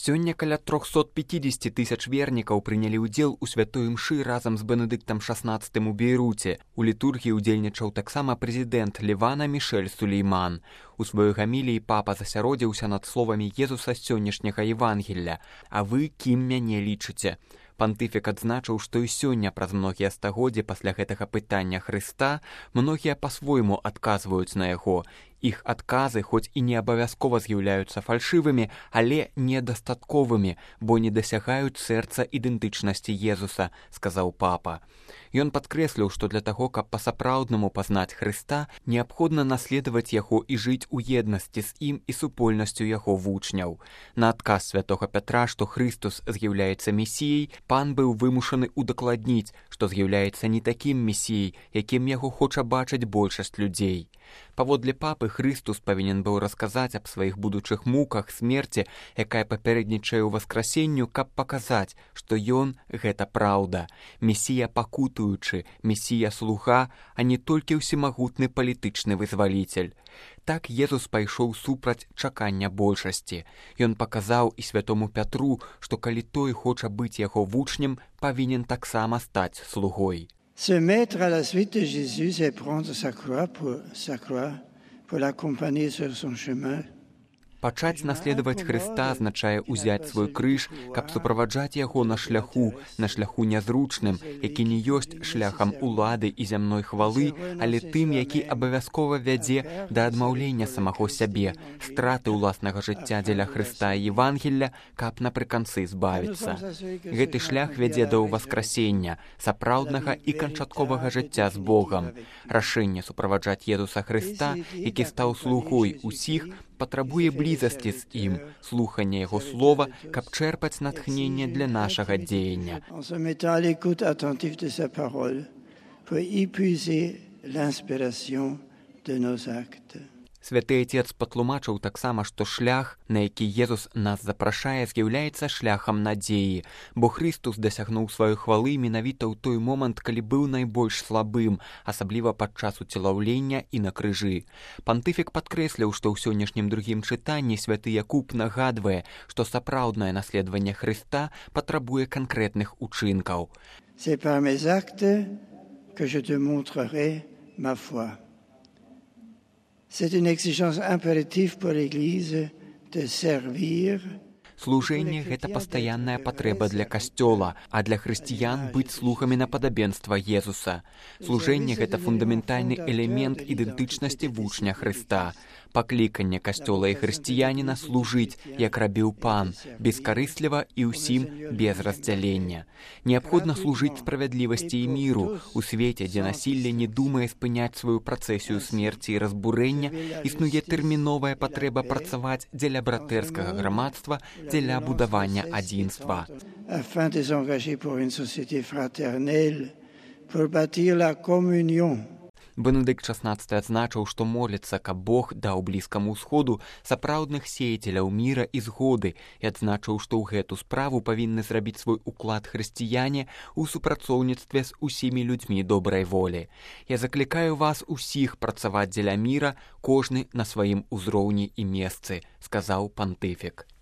Сёння каля 350 тысяч вернікаў прынялі ўдзел у святой імшы разам з Бенедыктам XVI у Бейруце. У літургіі удзельнічаў таксама прэзідэнт Лівана Мішэль Сулейман. У сваёй гаміліі папа засяродзіўся над словамі Езуса з сённяшняга Евангелля: «А вы кім мяне лічыце?» Пантыфік адзначыў, што і сёння праз многія стагоддзі пасля гэтага пытання Хрыста многія па-свойму адказваюць на яго. Іх адказы хоць і не абавязкова з'яўляюцца фальшывымі, але недастатковымі, бо не дасягаюць сэрца ідэнтычнасці Езуса, сказаў папа. Ён падкрэсліў, што для таго, каб па-сапраўднаму пазнаць Хрыста, неабходна наследаваць яго і жыць у еднасці з ім і супольнасцю яго вучняў. На адказ святога Пятра, што Хрыстус з'яўляецца месіяй, пан быў вымушаны удакладніць, што з'яўляецца не такім месіяй, якім яго хоча бачыць большасць людзей. Паводле папы, Хрыстус павінен быў расказаць аб сваіх будучых муках, смерці, якая папярэднічае ў васкрасенню, каб паказаць, што ён — гэта праўда. Месія пакутуючы, месія-слуга, а не толькі ўсемагутны палітычны вызваліцель. Так Езус пайшоў супраць чакання большасці. Ён паказаў і святому Пятру, што калі той хоча быць яго вучнем, павінен таксама стаць слугой. Se mettre à la suite de Jésus et prendre sa croix pour l'accompagner sur son chemin. Пачаць наследаваць Хрыста азначае ўзяць свой крыж, каб суправаджаць яго на шляху нязручным, які не ёсць шляхам улады і зямной хвалы, але тым, які абавязкова вядзе да адмаўлення самого сябе, страты ўласнага жыцця дзеля Хрыста і Евангелля, каб напрыканцы збавіцца. Гэты шлях вядзе да ўваскрасення, сапраўднага і канчатковага жыцця з Богам. Рашэнне суправаджаць Езуса Хрыста, які стаў слугой усіх, патрабуе блізасці з ім, слухання яго слова, каб чэрпаць натхненне для нашага дзеяння. Святы Отец патлумачыў таксама, што шлях, на які Езус нас запрашае, з'яўляецца шляхам надзеі, бо Хрыстус дасягнуў сваёй хвалы менавіта ў той момант, калі быў найбольш слабым, асабліва падчас уцелаўлення і на крыжы. Пантыфік падкрэсліў, што ў сённяшнім другім чытанні святы Якуб нагадвае, што сапраўднае наследаванне Хрыста патрабуе канкрэтных учынкаў. C'est par mes actes que je te montrerai ma foi. C'est une exigence impérative pour l'Église de servir. Служэнне — гэта пастаянная патрэба для касцёла, а для хрысціян быць слугамі на падабенства Езуса. Служэнне — гэта фундаментальны элемент ідэнтычнасці вучня Хрыста. Пакліканне касцёла і хрысціяніна служыць, як рабіў пан, бескарысліва і ўсім без раздзялення. Неабходна служыць справядлівасці і міру у свеце, дзе насілле не думае спыняць сваю працэсію смерці і разбурэння, існуе тэрміновая патрэба працаваць дзеля братэрскага грамадства, дзеля будавання адзінства. Afin de s'engager pour une société fraternelle, pour bâtir la communion. Бенедыкт XVI адзначыў, што моліцца, каб Бог даў Блізкаму ўсходу сапраўдных сеяцеляў міра і згоды, і адзначыў, што ў гэту справу павінны зрабіць свой уклад хрысціяне ў супрацоўніцтве з усімі людзьмі добрай волі. Я заклікаю вас усіх працаваць дзеля міра, кожны на сваім узроўні і месцы, сказаў пантыфік.